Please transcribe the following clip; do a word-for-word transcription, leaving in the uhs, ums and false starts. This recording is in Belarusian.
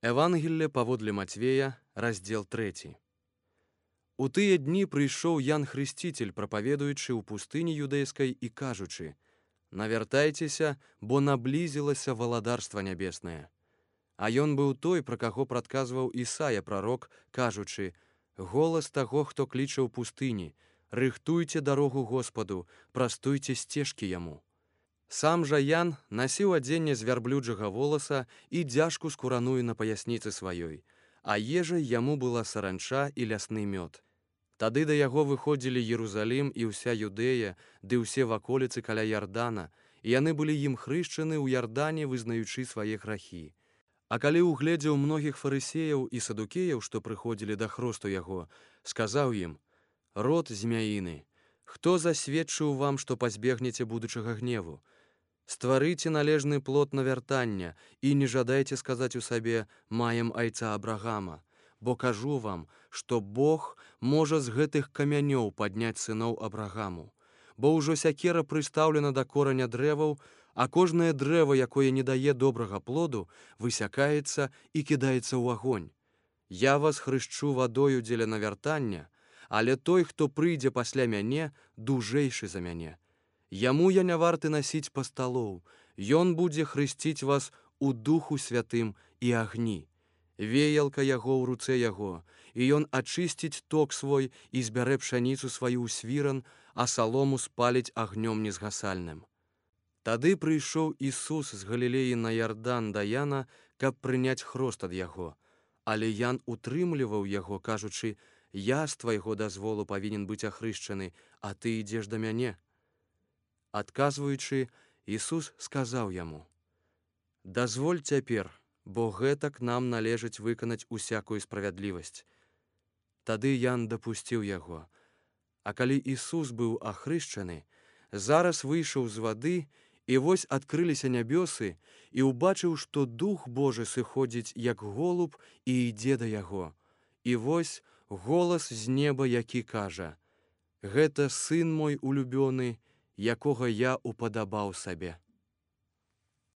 Евангелле паводле Мацвея, раздзел трэці. У тыя дні прыйшоў Ян Хрысціцель, прапаведуючы ў пустыні юдэйскай і кажучы: «Навяртайцеся, бо наблізілася валадарства нябеснае». А ён быў той, пра каго прадказваў Ісая прарок, кажучы: «Голас таго, хто кліча ў пустыні, рыхтуйце дарогу Господу, прастуйце сцежкі яму». Сам жа Ян насіў адзенне з вярблюджага воласа і дзяжку скураную на паясніцы сваёй, а ежай яму была саранча і лясны мёд. Тады да яго выходзілі Єрусалім і ўся Юдэя, ды ўсе ваколіцы каля Ярдана, і яны былі ім хрышчаны ў Ярдане, вызнаючы свае грахі. А калі ўгледзеў многіх фарысеяў і садукеяў, што прыходзілі да хросту яго, сказаў ім: «Род змяіны, хто засведчыў вам, што пазбегнеце будучага гневу? Стварыце належны плод навяртання і не жадайце сказаць у сабе: маем айца Абрагама, бо кажу вам, што Бог можа з гэтых камянёў падняць сыноў Абрагаму. Бо ўжо сякера прыстаўлена да кораня дрэваў, а кожнае дрэва, якое не дае добрага плоду, высякаецца і кідаецца ў агонь. Я вас хрышчу вадою дзеля навяртання, але той, хто прыйдзе пасля мяне, дужэйшы за мяне. Яму я не варты насіць пасталоў, ён будзе хрысціць вас у Духу Святым і агні. Веялка яго ў руцэ яго, і ён ачысціць ток свой і збярэ пшаніцу сваю ў свіран, а салому спаліць агнём незгасальным». Тады прыйшоў Ісус з Галілеі на Ярдан да Яна, каб прыняць хрост ад яго. Але Ян утрымліваў яго, кажучы: «Я з твайго дазволу павінен быць ахрышчаны, а ты ідзеш да мяне». Адказваючы, Ісус сказаў яму: «Дазволь цяпер, бо гэтак нам належыць выканаць усякую справядлівасць». Тады Ян дапусціў яго. А калі Ісус быў ахрышчаны, зараз выйшаў з вады, і вось адкрыліся нябёсы, і ўбачыў, што Дух Божы сыходзіць як голуб і ідзе да яго. І вось голас з неба, які кажа: «Гэта сын мой улюбёны, якога я упадабаў сабе».